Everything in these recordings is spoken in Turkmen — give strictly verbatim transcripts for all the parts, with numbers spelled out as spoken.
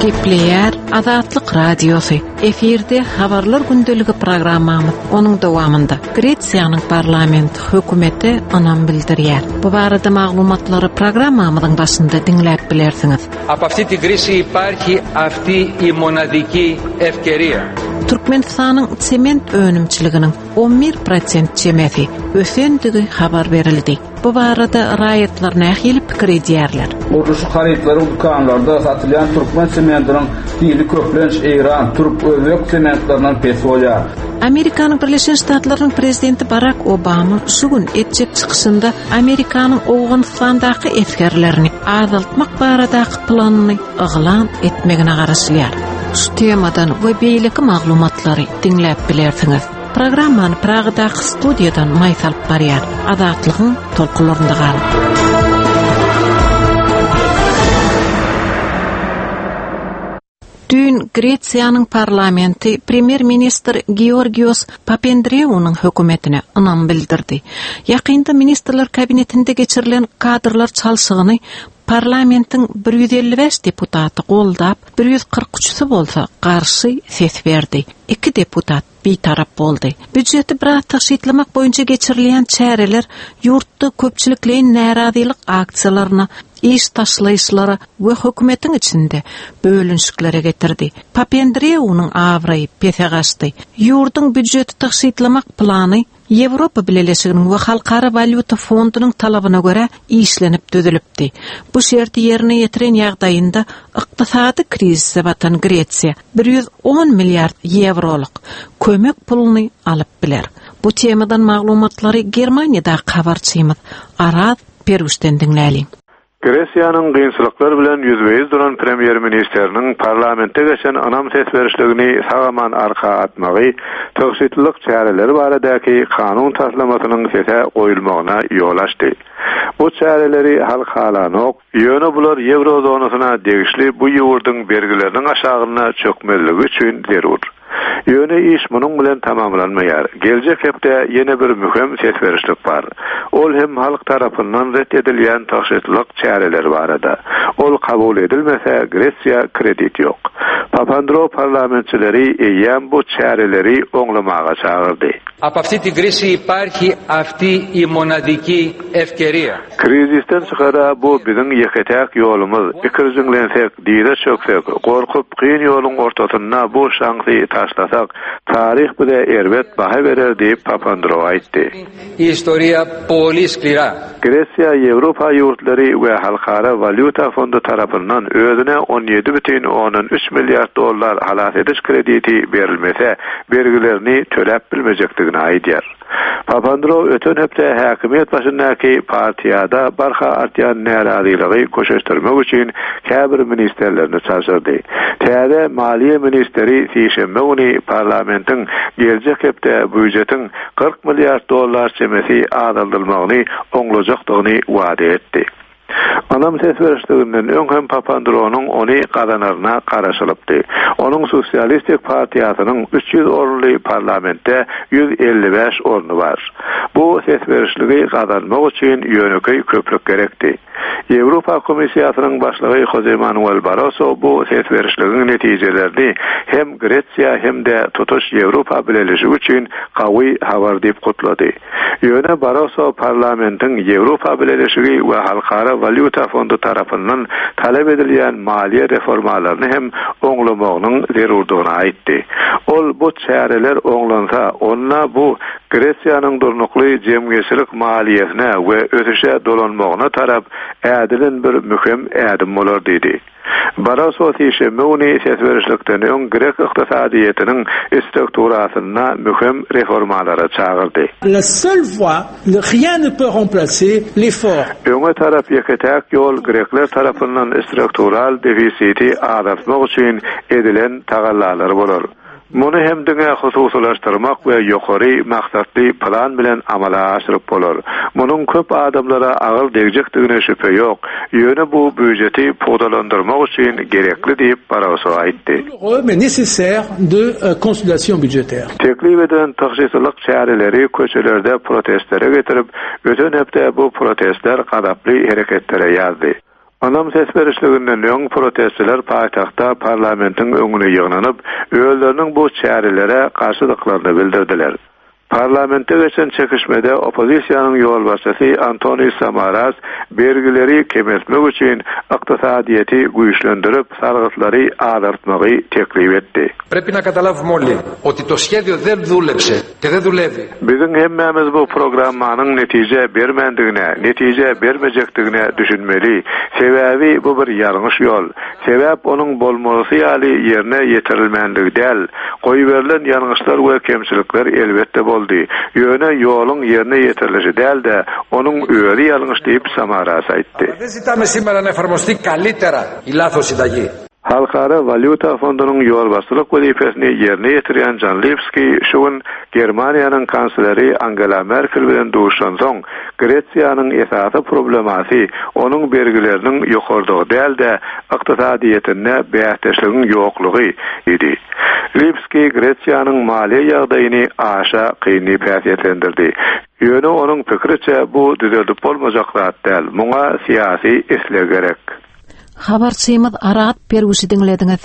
Gepleýär Azatlyk Radiosy. Efirde Habarlar gündeligi programmamyz. Onuň dowamynda Gresiýanyň parlamenti hökümete ynam bildirýär. Bu barada maglumatlary programmamyzyň başynda diňläp bilersiňiz. Από αυτή την κρίση υπάρχει αυτή η μοναδική ευκαιρία. Türkmenistanyň sement önümçiliginiň on bir prosent çemesi ösendigi habar berildi. Bu barada raýatlar nähili pikir edýärler? Gurluşyk harytlary dükanlarda satylýan türkmen sementiniň hili köplenç Eýran, türk, özbek sementlerinden pes bolýar. Amerikanyň Birleşen Ştatlarynyň prezidenti Barak Obama şu gün etjek çykyşynda Amerikanyň Owganystandaky esgerlerini azaltmak baradaky planyny yglan etmegine garaşylýar. Şu temadan we beýleki maglumatlary diňläp bilersiňiz. Programmany Pragadaky studiýadan Maýsa alyp barýar. Azatlygyň tolkunlarynda galyň. Düýn Gresiýanyň parlamenti premýer-ministr Georgios Papandreounyň hökümetine ynam bildirdi. Ýakynda ministrler kabinetinde geçirilen kadrlar çalşygyny parlamentiň bir ýüz elli bäş deputaty goldap, bir ýüz kyrk üçüsi bolsa garşy ses berdi. Iki deputat bitarap boldy. Býujeti biraz tygşytlamak boýunça geçirilýän çäreler ýurtda köpçülikleýin närazylyk aksiýalaryna, iş taşlaýyşlara we hökümetiň içinde bölünişiklere getirdi. Papandreounyň abraýy pese gaçdy. Ýurduň býujeti tygşytlamak plany Ýewropa Bileleşiginiň we Halkara Walýuta Fondunyň talabyna görä işlenip düzülipdi. Bu şerti ýerine ýetiren ýagdaýynda ykdysady krizise batan Gresiýa bir ýüz on milliard ýewrolyk kömek puluny alyp biler. Bu temadan maglumatlary Germaniýadaky habarçymyz Araz Peruşden diňläliň. Gresiýanyň kynçylyklar bilen ýüzbe-ýüz duran premýer-ministeriniň parlamentde geçen ynam ses berişligini sag-aman arka atmagy, tygşytlylyk çäreleri baradaky kanun taslamasynyň sese goýulmagyna ýol açdy. Bu çäreleri halk halanok, ýöne bular ýewrozonasyna degişli bu ýurduň bergileriniň aşagyna çökmezligi üçin zerur. Ýöne iş munuň bilen tamamlanmaýar. Geljek hepde ýene bir möhüm ses berişlik bar. Ol hem halk tarapyndan ret edilýän tygşytlylyk çäreleri barada. Ol kabul edilmese Gresiýa kredit ýok. Papandreou parlamentçileri eýýäm bu çäreleri oňlamaga çagyrdy. Από αυτή την κρίση υπάρχει αυτή η μοναδική ευκαιρία. Krizisden çykara bu biziň ýeke-täk ýolumyz. Ikirjiňlensek, dize çöksek, gorkup kyn ýoluň ortasynda bu şansy taşlasak, taryh bize erbet baha berer diýip Papandreou aýtdy. Η ιστορία πολύ σκληρά. Gresiýa Ýewropa ýurtlary we Halkara Walýuta Fondy tarapyndan özüne on ýedi bütin ondan üç milliard dollar halas ediş krediti berilmese, bergilerini töläp bilmejekdigini aýdýar. Papandreou öten hepde häkimiýet başyndaky partiýada barha artýan närazylygy köşeşdirmek üçin käbir ministerlerini çalşyrdy. Täze maliýe ministeri sişenbe güni parlamentiň geljek hepde býujetiň kyrk milliard dollar çemesi azaldylmagyny oňlajakdygyny wada etdi. Anam ses berişliginden öň hem Papandreounyň ony gazanaryna garaşylypdy. Onuň Sosialistik partiýasynyň üç ýüz orunly parlamentde ýüz elli bäş orny bar. Bu ses berişligi gazanmak üçin ýönekeý köplük gerekdi. Ýewropa Komissiýasynyň başlygy Jose Manuel Barroso bu ses berişligiň netijelerini hem Gresiýa hem de tutuş Ýewropa Bileleşigi üçin gawy habar diýip gutlady. Ýöne Barroso parlamentiň Ýewropa Bileleşigi we Halkara Walýuta Fondy tarapyndan talap edilýän maliýe reformalaryny hem oňlamagynyň zerurdygyny aýtdy. Ol bu çäreler oňlansa, onda bu Gresiýanyň durnukly jemgyýetçilik maliýesine we ösüşe dolanmagyna tarap ädilen bir möhüm ädim bolar diýdi. Barroso sişenbe güni ses berişlikden öň Grek ykdysadyýetiniň strukturasynda möhüm reformalara çagyrdy. La seule voie, rien ne peut remplacer l'effort. Öňe tarap ýeke-täk ýol Grekler tarapyndan struktural defisiti azaltmak üçin edilen tagallalar bolar. Muny hem diňe hususylaşdyrmak we ýokary maksatly plan bilen amala aşyryp bolar. Munuň köp adamlara agyr degjekdigine şübhe ýok. Ýöne bu býujeti pugtalandyrmak üçin gerekli diýip Barroso aýtdy. Mais nécessaire de euh, consolidation budgétaire. Teklip edilen tygşytlylyk çäreleri köçelerde protestlere getirip, öten hepde bu protestler gazaply hereketlere ýazdy. Ynam ses berişliginden öň protestçiler paýtagtda parlamentiň öňüne ýygnanyp, özleriniň bu çärelere garşydyklaryny bildirdiler. Parlamentde geçen çekişmede oppozisiýanyň ýolbaşçysy Antonis Samaras bergileri kemeltmek üçin ykdysadyýeti güýçlendirip, salgytlary azaltmagy teklip etdi. Πρέπει να καταλάβουμε όλοι ότι το σχέδιο δεν δούλεψε και δεν δουλεύει. Biziň hemmämiz bu programmanyň netije bermändigine, netije bermejekdigine düşünmeli. Sebäbi bu bir ýalňyş ýol. Sebäp onuň bolmalysy ýaly ýerine ýetirilmänligi däl. Goýberilen ýalňyşlar we kemçilikler elbetde boldy. Ýöne ýoluň ýerine ýetirilişi däl-de, onuň özi ýalňyş diýip Samaras aýtdy. Αλλά δεν ζητάμε σήμερα να εφαρμοστεί καλύτερα η λάθος συνταγή. Halkara Walýuta fondunyň ýolbaşçylyk wezipesini ýerine ýetirýän Jan Lipski şu gün Germaniýanyň kansleri Angela Merkel bilen duşansoň, Gresiýanyň esasy problemasy onuň bergileriniň ýokardygy däl-de, ykdysadyýetinde bäsdeşligiň ýoklugy idi. Lipski Gresiýanyň maliýe ýagdaýyny aşa kyn diýip häsiýetlendirdi. Ýöne onuň pikiriçe bu düzeldip bolmajak zat däl, muňa syýasy isleg gerek. Habarçymyz Arat Perwişi diňlediňiz.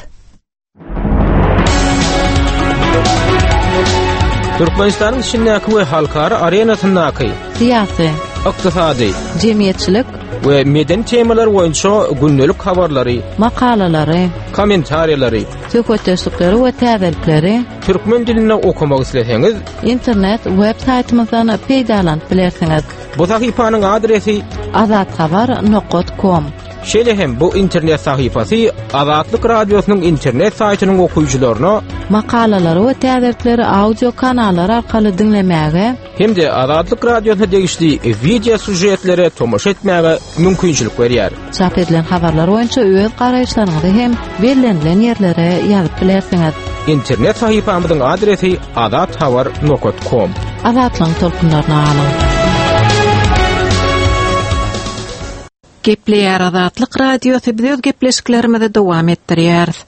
Türkmenistanyň içindäki we halkara arenasyndaky Syýasy, ykdysady jemgyýetçilik, we medeni temalar boýunça gündelik habarlary, makalalary, kommentariýalary söhbetdeşlikleri we täzelikleri türkmen dilinde okamak isleseňiz, internet web saýtymyzdan peýdalanyp bilersiňiz. bu sahypanyň adresi azathabar nokta com. Şeýle hem bu internet sahypasy Azatlyk Radiosynyň internet saýtynyň okyjylaryna makalalary we täzelikleri audio kanallar arkaly diňlemäge hem-de Azatlyk Radiosyna degişli wideo sýužetlere tomaşa etmäge mümkinçilik berýär. Çap edilen habarlar boýunça öz garaýyşlaryňyzy hem bellenilen ýerlere ýazyp bilersiňiz. Internet sahypamyzyň adresi azathabar nokta com. Azatlygyň tolkunlaryna galyň. Gepleýär Azatlyk Radiosy, biz öz gepleşiklerimizi dowam etdirýäris.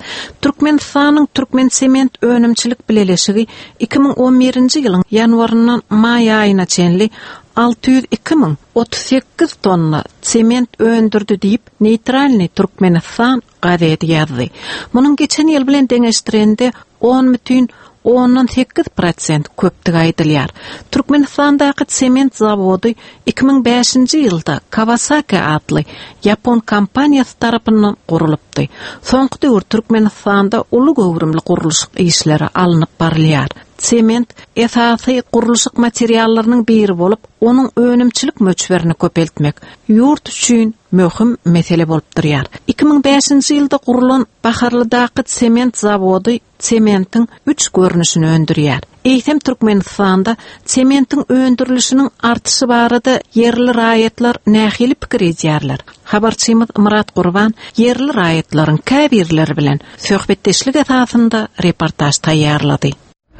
Türkmenistanyň Türkmen sement önümçilik bileleşigi iki müň on birinji ýylyň ýanwaryndan maý aýyna çenli alty ýüz iki müň otuz sekiz tonna sement öndürdi diýip Neýtralnyý Türkmenistan gazeti ýazdy. Munuň geçen ýyl bilen deňeşdirende on bütin ondan sekiz prosent köpdügi aýdylýar. Türkmenistandaky sement zawody iki müň bäşinji ýylda Kawasaki atly ýapon kompaniýasy tarapyndan gurulypdy. Soňky döwür Türkmenistanda uly göwrümli gurluşyk işleri alnyp barylýar. Sement esasy gurluşyk materiallarynyň biri bolup, onuň önümçilik möçberini köpeltmek ýurt üçin möhüm mesele bolup durýar. iki müň bäşinji ýylda gurulan Baharlydaky sement zawody sementiň üç görnüşini öndürýär. Eýsem Türkmenistanda sementiň öndürilişiniň artyşy barada ýerli raýatlar nähili pikir edýärler? Habarçymyz Murat Gurban ýerli raýatlaryň käbirleri bilen söhbetdeşlik esasynda reportaž taýýarlady.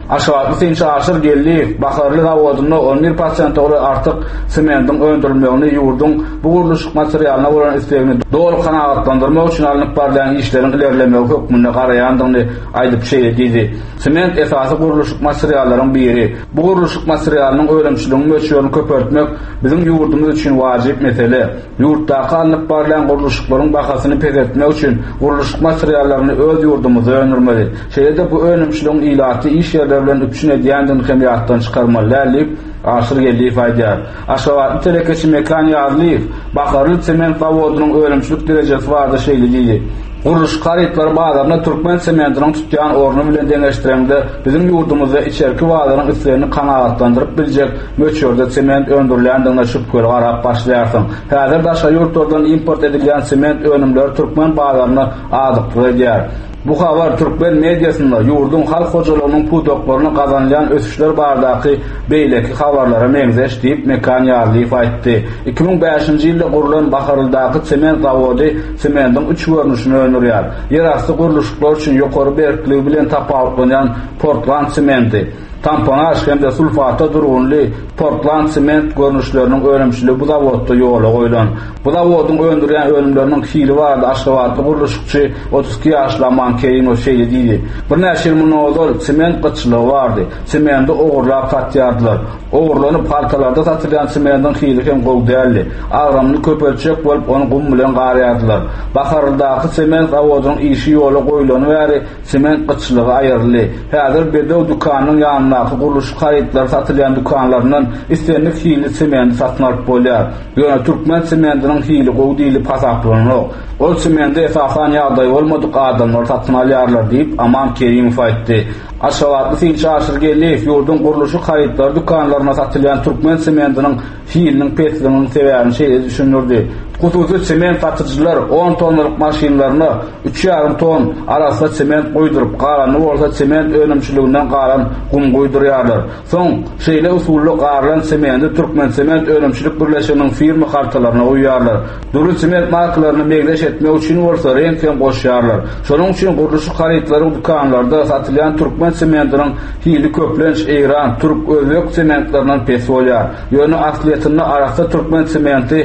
Aşgabatly synçy Aşyr Geldiýew Baharly zawodynda on bir prosente golaý artyk sementiň öndürilmegini ýurduň bu gurluşyk materialyna bolan islegini doly kanagatlandyrmak üçin alnyp barylýan işleriň ilerlemegi hökmünde garaýandygyny aýdyp şeýle diýdi. Sement esasy gurluşyk materiallaryň biri. Bu gurluşyk materialynyň önümçiliginiň möçberini köpeltmek biziň ýurdumyz üçin wajyp mesele. Ýurtdaky alnyp barylýan gurluşyklaryň bahasyny peseltmek üçin gurluşyk materiallaryny öz ýurdumyzda öndürmeli. Şeýle-de bu önümçiligiň ilaty iş ýerleri bilen üpjün edýändigini hem ýatdan çykarmaly däl diýip Aşyr Geldiýew aýdýar. Aşgabatly telekeçi Mekan Ýazlyýew Baharly sement zawodynyň önümçilik derejesi barada şeýle diýdi. Gurluşyk harytlary bazarynda türkmen sementiniň tutýan orny bilen deňeşdireňde biziň ýurdumyzda içerki bazaryň islegini kanagatlandyryp biljek möçberde sement öndürilýändigine şübheli garap başlaýarsyň. Häzir daşary ýurtlardan import edilýän sement önümleri türkmen bazaryna azyklyk edýär. Bu habar türkmen mediasynda ýurduň halk hojalygynyň pudaklaryna gazanylýan ösüşler baradaky beýleki habarlara meňzeş diýip Mekan Ýarlyýew aýtdy. iki müň bäşinji ýylda gurlan Baharlydaky sement zawody sementiň üç görnüşini öndürýär. Ýerasty gurluşyklar üçin ýokary berkligi bilen tapawutlanýan Portland sementi, tamponaj hem-de sulfata durgunly Portland sement görnüşleriniň önümçiligi bu zawodda ýola goýlan. Bu zawodyň öndürýän önümleriniň hili barada Aşgabatly gurluşykçy otuz iki ýaşly Aman Kerimow şeýle diýdi. Birnäçe ýyl mundan ozal sement gytçylygy bardy. Sementi ogurlap satýardylar. Ogurlanyp haltalarda satylýan sementiň hili hem gowy däldi. Agramyny köpeltjek bolup ony gum bilen garýardylar. Baharlydaky sement zawodynyň işi ýola goýulany bäri sement gytçylygy aýryldy. Häzir Bedew dükanynyň ýanyndaky gurluşyk harytlary satylýan dükanlaryndan islendik hilli sementi satyn alyp bolýar. Ýöne türkmen sementiniň hili gowy diýlip hasaplananok. Ol sementi esasan ýagdaý bolmadyk adamlar satyn alýarlar diýip Aman Kerimow aýtdy. Aşgabatly synçy Aşyr Geldiýew ýurduň gurluşyk harytlary dükanlaryna satylýan türkmen sementiniň hiliniň pesliginiň sebäbini şeýle düşündirdi. Hususy sement satyjylar on tonnalyk maşynlaryna üç ýarym ton arassa sement guýduryp, galanyny bolsa sement önümçiliginden galan gum guýdurýarlar. Soň şeýle usulda garylan sementi Türkmen sement önümçilik birleşiginiň firma kartalaryna guýýarlar. Dürli sement markalaryny meňzeş etmek üçin bolsa reňk hem goşýarlar. Şonuň üçin gurluşyk harytlary dükanlarda satylýan türkmen sementiniň hili köplenç Eýran, türk, özbek sementlerinden pes bolýar. Ýöne aslyýetinde arassa türkmen sementi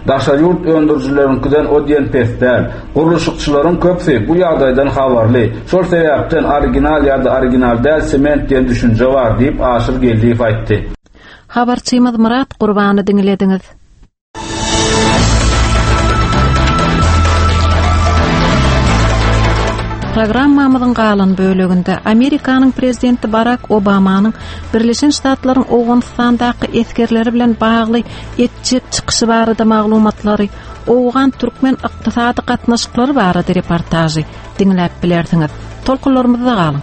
daşary ýurt öndürijileriňkiden o diýen pes däl. Gurluşykçylaryň köpüsi bu ýagdaýdan habarly. Şol sebäpden original ýa-da original däl sement diýen düşünje bar diýip Aşyr Geldiýew aýtdy. Habarçymyz Murat Gurbany diňlediňiz. Programmamyzyň galan böleginde Amerikanyň prezidenti Barack Obamanyň Birleşen Ştatlaryň Owganystandaky esgerleri bilen bagly etjek çykyşy barada maglumatlary, Owgan türkmen ykdysady gatnaşyklary barada reportažy diňläp bilersiňiz. Tolkunlarymyzda galyň.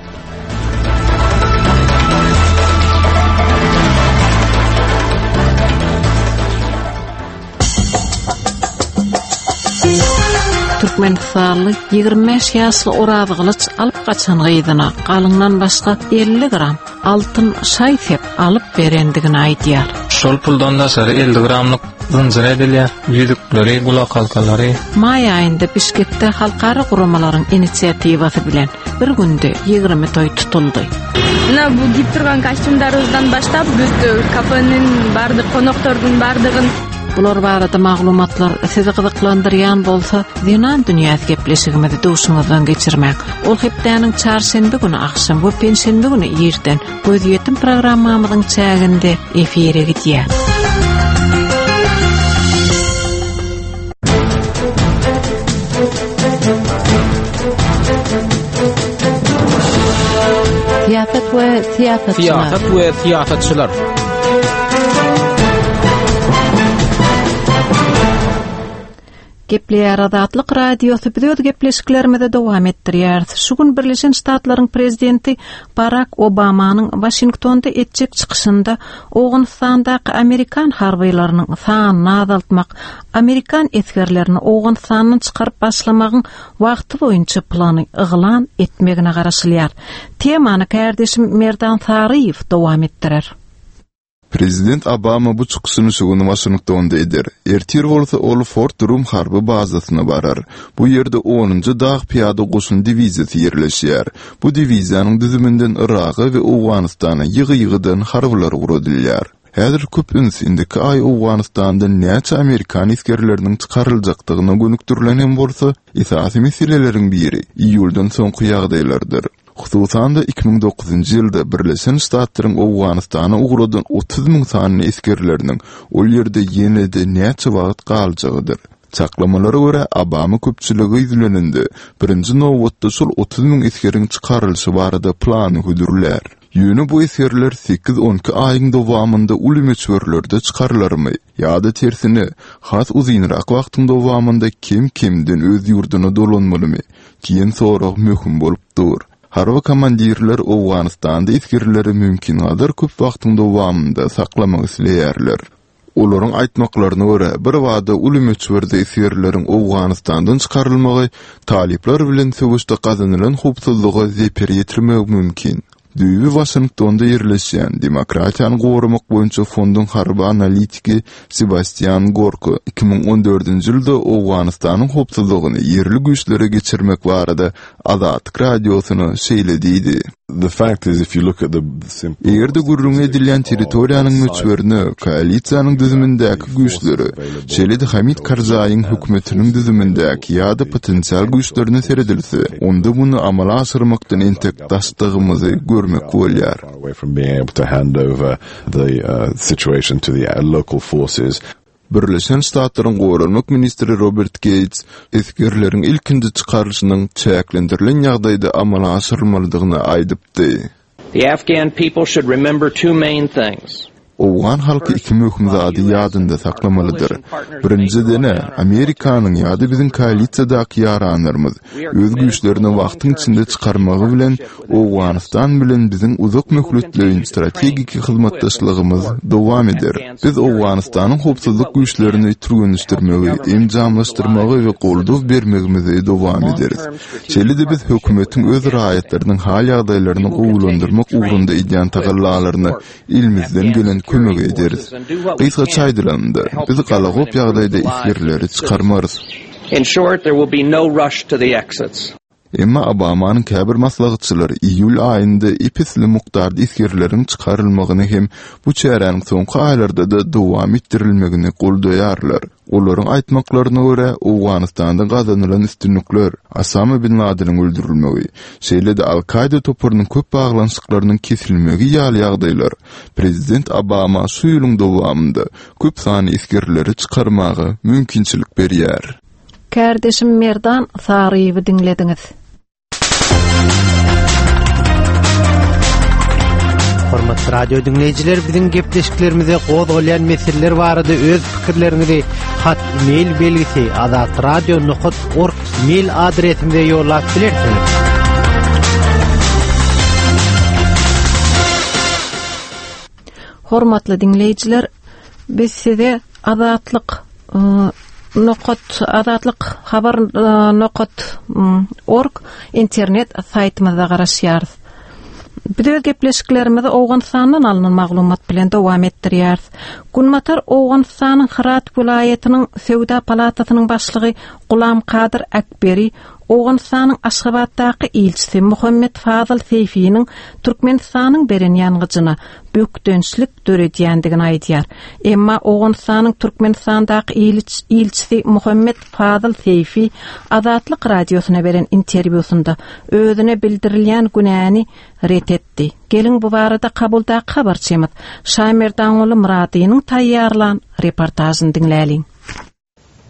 Türkmenistanly ýigrimi bäş ýaşly Oraz Gylyç alyp gaçan gyzyna galyňdan başga elli gram altyn şaý sep alyp berendigini aýdýar. Şol puldan daşary elli gramlyk zynjyr edilýär, ýüzükleri, gulak halkalary. Maý aýynda Bişkekde halkara guramalaryň inisiatiwasy bilen bir günde ýigrimi toý tutuldy. Mына bu kiyip turgan kostyumдарыбыздан başlap бүт kafenin bardyk, konaktorдун bardygyn. Bular barada maglumatlar sizi gyzyklandyrýan bolsa, Zenan dünýäsi gepleşigimizi duşuňyzdan geçirmek. Ol hepdäniň çarşenbe güni akşam we penşenbe güni irden gözýetim programmamyzyň çäginde efire gidýär. Syýasat we syýasatçylar. Syýasat we syýasatçylar. Gepleýär Azatlyk Radiosy biz öz gepleşiklerimizi dowam etdirýäris. Şu gün Birleşen Ştatlaryň prezidenti Barack Obamanyň Washingtonda etjek çykyşynda Owganystandaky Amerikan harbylarynyň sanyny azaltmak, Amerikan esgerlerini Owganystandan çykaryp başlamagyň wagty boýunça plany yglan etmegine garaşylýar. Temany kardeşim Merdan Saryýew dowam etdirer. Prezident Obama bu çykyşyny şu gün Washingtonda eder. Ertir bolsa ol Fort Drum harby bazasyna barar. Bu ýerde onunjy dag piyada goşun diwiziýasy ýerleşýär. Bu diwiziýanyň düzüminden Yraga we Owganystana ýygy-ýygydan harbylar ugradylýar. Häzir köp üns indiki aý Owganystandan näçe Amerikan esgerleriniň çykaryljakdygyna gönükdirilen hem bolsa, esasy meseleleriň biri iýuldan soňky ýagdaýlardyr. Hususan-da iki müň dokuzynjy ýylda Birleşen Ştatlaryň Owganystana ugradan otuz müň sany esgerleriniň ol ýerde ýene-de näçe wagt galjagydyr. Çaklamalara görä Obama köpçüligi ýüzlenende birinji nobatda şol otuz müň esgeriň çykarylyşy barada plany hödürlär. Ýöne bu esgerler sekiz on iki aýyň dowamynda uly möçberlerde çykarylarmy ýa-da tersine has uzynrak wagtyň dowamynda kem-kemden öz ýurduna dolanmalymy diýen sorag möhüm bolup dur. Harby komandirler Owganystanda esgerleri mümkin gadar köp wagtyň dowamynda saklamak isleýärler. Olaryň aýtmaklaryna görä, birbada uly möçberde esgerleriň Owganystandan çykarylmagy talyplar bilen söweşde gazanylan howpsuzlyga zeper ýetirmegi mümkin. Düýbi Waşingtonda ýerleşýän Demokratiýany goramak boýunça fonduň harby analitiki Sebastian Gorko iki müň on dördünji ýylda Owganystanyň howpsuzlygyny ýerli güýçlere geçirmek barada Azatlyk Radiosyna şeýle diýdi. The fact is, if you look at the simple Eger-de gürrüňi edilýän territoriýanyň möçberine, koalisiýanyň düzümindäki güýçlere, şeýle-de Hamid Karzaýyň hökümetiniň düzümindäki ýa-da potensial güýçlerine seredilse, onda muny amala aşyrmakdan entek daşdygymyzy görmek bolýar. away from being able to hand over the uh, situation to the uh, local forces. Birleşen Ştatlaryň Goranmak ministri Robert Geýts esgerleriň ilkinji çykarylyşynyň çäklendirilen ýagdaýda amala aşyrylmalydygyny aýdypdy. The Afghan people should remember two main things. Owgan halky iki möhüm zady ýadynda saklamalydyr. Birinjiden-ä, Amerikanyň ýa-da biziň koalisiýadaky ýaranlarymyz öz güýçlerini wagtyň içinde çykarmagy bilen Owganystan bilen biziň uzak möhletleýin strategiki hyzmatdaşlygymyz dowam eder. Biz Owganystanyň howpsuzlyk güýçlerini türgenleşdirmegi, enjamlaşdyrmagy we goldaw bermegimizi dowam ederis. Şeýle-de biz hökümetiň öz raýatlarynyň hal-ýagdaýlaryny gowulandyrmak ugrunda edýän tagallalaryna elimizden gelen kömegi ederis. Gysgaça aýdylanda, biz galagop ýagdaýda esgerleri çykarmarys. In short, there will be no rush to the exits. Emma Obamanyň käbir maslahatçylary iýul aýynda ep-esli mukdarda esgerleriň çykarylmagyny hem bu çäräniň soňky aýlarda-da dowam etdirilmegini goldaýarlar. Olaryň aýtmaklaryna görä, Owganystanda gazanylan üstünlikler, Osama bin Ladeniň öldürilmegi, şeýle-de Al-Kaýda toparynyň köp baglanyşyklarynyň kesilmegi ýaly ýagdaýlar prezident Obama şu ýylyň dowamynda köp sanly esgerleri çykarmaga mümkinçilik berýär. Kärdeşim Merdan Saryýewi diňlediňiz. Hormatly radio diňleýjiler, biziň gepleşiklerimize gozgalýan meseleler barada öz pikirleriňizi hat mail belgisi azatradio nokat org mail adresimize ýollap bilersiňiz. Hormatly diňleýjiler, biz size Azatlyk nokat Azatlyk habar nokat org internet saýtymyzda garaşýarys. Biz öz gepleşiklerimizi Owganystandan alynan maglumat bilen dowam etdirýäris. Günbatar Owganystanyň Hyrat welaýatynyň Söwda palatasynyň başlygy Gulam Kadyr Akberi Owganystanyň Aşgabatdaky ilçisi Muhammet Fazıl Seýfiniň Türkmenistanyň beren ýangyjyna bökdençlik döredýändigini aýdýar. Emma Owganystanyň Türkmenistandaky ilçisi Muhammet Fazıl Seýfi Azatlyk radiosyna beren interwýusynda özüne bildirilýän günäni ret etdi. Geliň bu barada Kabuldaky habarçymyz Şaýmerdanguly Myradynyň taýýarlan reportažyny diňläliň.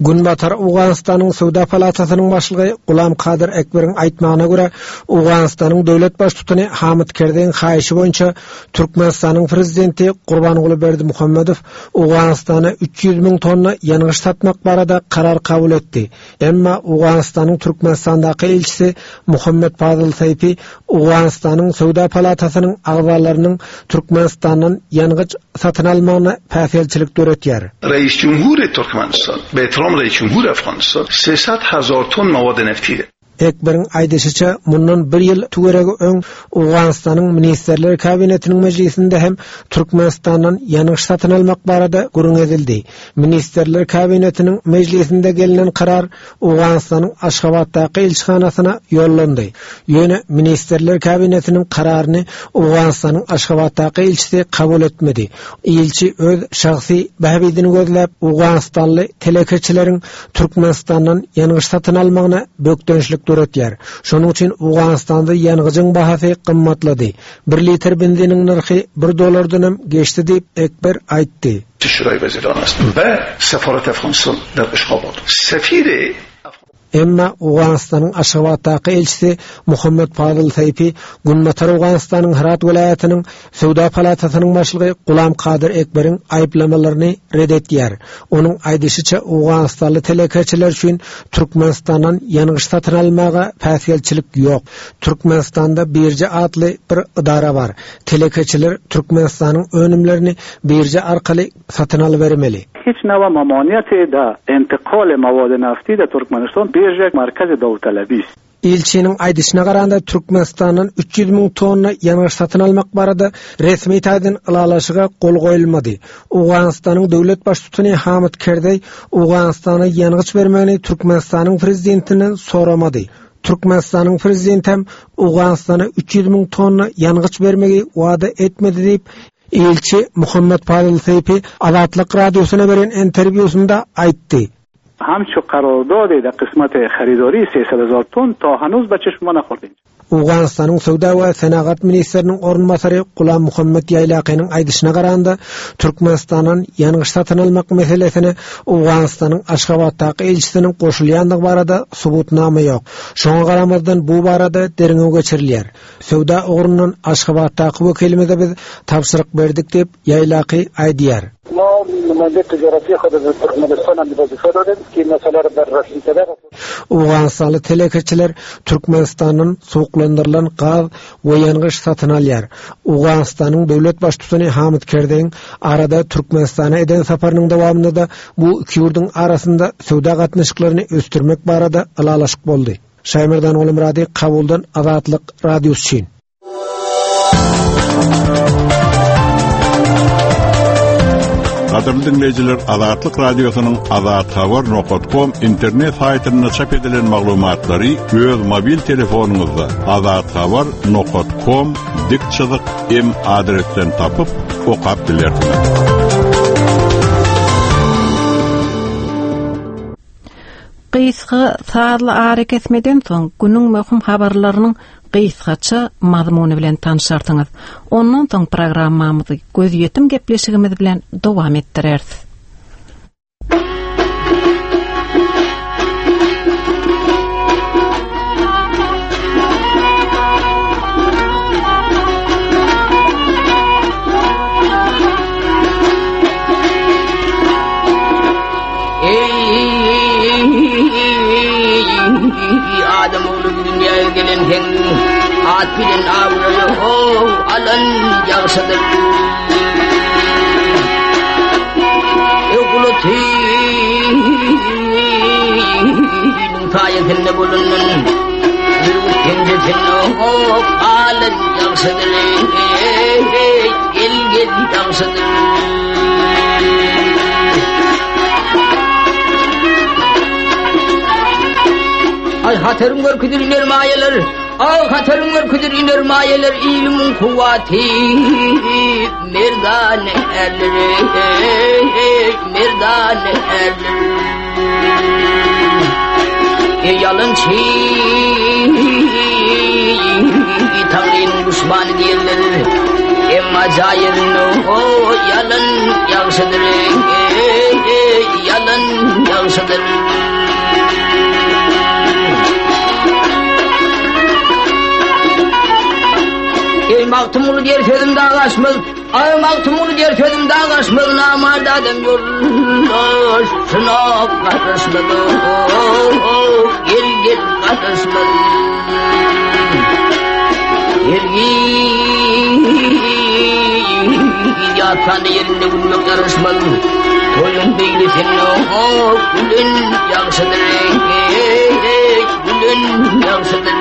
Günbatar Owganystanyň Söwda palatasynyň başlygy Gulam Kadyr Ekberiň aýtmagyna görä, Owganystanyň döwlet baştutany Hamid Kerzeýiň haýyşy boýunça Türkmenistanyň prezidenti Gurbanguly Berdimuhamedow Owganystana üç ýüz müň tonna ýangyç satmak barada karar kabul etdi. Emma Owganystanyň Türkmenistandaky ilçisi Muhammet Fazıl Seýfi Owganystanyň Söwda palatasynyň agzalarynyň Türkmenistandan ýangyç satyn almagyna päsgelçilik döretýär. Reis Cumhur Türkmenistan be ihtiram Reis Cumhur Afganistan sesat hazar ton mawad nefti. Ekberiň aýdyşyça, mundan bir ýyl tüweregi öň Owganystanyň Ministrler Kabinetiniň mejlisinde hem Türkmenistandan ýangyç satyn almak barada gürrüň edildi. Ministrler Kabinetiniň mejlisinde gelinen karar Owganystanyň Aşgabatdaky ilçihanasyna ýollandy. Ýöne Ministrler Kabinetiniň kararyny Owganystanyň Aşgabatdaky ilçisi kabul etmedi. Ilçi öz şahsy bähbidini gözläp, Owganistanly telekeçileriň Türkmenistandan ýangyç satyn almagyna bökdençlik döretýär. Şonuň üçin Owganystanda ýangyjyň bahasy gymmatlady. Bir litr benziniň nyrhy bir dollardan hem geçdi diýip Ekber aýtdy. Şuraý Weziran est. Be sefaret Afganistan der Aşgabat. Sefiri Emma Owganystanyň Aşgabatdaky ilçisi Muhammet Fazıl Seýfi Günbatar Owganystanyň Hyrat welaýatynyň Söwda palatasynyň başlygy Gulam Kadyr Ekberiň aýyplamalaryny red etýär. Onuň aýdyşyça Owganystanly telekeçiler üçin Türkmenistandan ýangyç satyn almaga päsgelçilik ýok. Türkmenistanda birje atly bir idara bar. Telekeçiler Türkmenistanyň önümlerini birje arkaly satyn alybermeli. هیچ نوع ممانعت در انتقال مواد نفتی در ترکمنستان بیرژ مرکز داوطلبی است. Ilçiniň aýdyşyna garanda Türkmenistandan üç ýüz müň tonna ýangyç satyn almak barada resmi taýdan ylalaşyga gol goýulmady. Owganystanyň döwlet baştutany Hamid Kerzeý Owganystana ýangyç bermegini Türkmenistanyň prezidentinden soramady. Türkmenistanyň prezidenti hem Owganystana üç ýüz müň tonna ýangyç bermegi wada etmedi diýip ilçi Muhammet Fazıl Seýfi Azatlyk radiosyna beren interwýusynda aýtdy. همچو قرارداد در قسمت خریداری سیصد هزار تن تا هنوز به چشم ما نخوردیم. Owganystanyň Söwda we Senagat ministriniň orunbasary Gulam Muhammet Ýaýlakynyň aýdyşyna garanda Türkmenistandan ýangyç satyn almak meselesine Owganystanyň Aşgabatdaky ilçisiniň goşulýandygy barada subutnama ýok. Şoňa garamazdan bu barada derňew geçirilýär. Söwda ugrundan Aşgabatdaky wekilimize biz tabşyryk berdik diýip Ýaýlaky aýdýar. ما نماینده تجارتی خود از ترکمنستان هم وظیفه دادیم که مسئله را بررسی کرده. Owganystanly telekeçiler Türkmenistandan suwuklandyrylan gaz we ýangyç satyn alýar. Owganystanyň döwlet baştutany Hamid Kerzeýiň arada Türkmenistana eden saparynyň dowamynda da bu iki ýurduň arasynda söwda gatnaşyklaryny ösdürmek barada ylalaşyk boldy. Şaýmerdan Olimradi, Kabuldan Azatlyk Radiosy üçin. Gadyrly dinleýjiler, Azatlyk Radiosynyň azathabar nokta com internet saýtynda çap edilen maglumatlary öz mobil telefonyňyzda azathabar nokta com dik çyzyk m adresden tapyp okap bilersiňiz. Gysga sazly ara kesmeden soň günüň möhüm habarlarynyň gysgaça mazmuny bilen tanşarsyňyz. Ondan soň programmamyzy gözýetim gepleşigimiz bilen dowam etdireris. Adam oğlu dünyaya gelen hen at bilen avralı ho alan yağsadır. Ekulotinin tayetinde bulunun yürüp kendisini ho alan yağsadır. Gel gel yağsadır. Ay hatarım görküdür iner mayeler, ay hatarım görküdür iner mayeler, ilimin kuvveti merdan erler, merdan erler. E yalınçı Tanrı'nın düşmanı diyorlar, emma cairin o yalın yağşıdır, yalın yağşıdır. Ey Magtymguly diýer sözüm dağlaşmaz, ay Magtymguly diýer sözüm dağlaşmaz, namart adam ýoldaşyna garaşmaz, gel gel garaşmaz. Ergin ýatan ýerinde gülmek ýaraşmaz, toýun beýlesini gülün ýagşydyr, gülün ýagşydyr.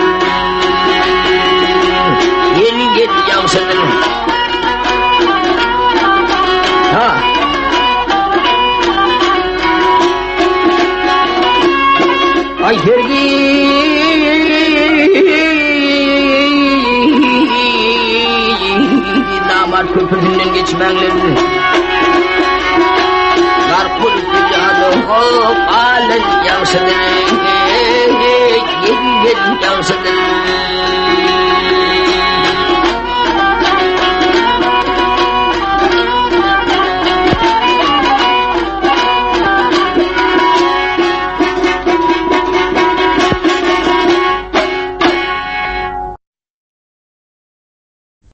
Gel gel ýagşydyr. Ha. Ay hergin namart köprüsünden geçmenler. Garpul dünyada hop alın ýagşydyr, gel gel ýagşydyr.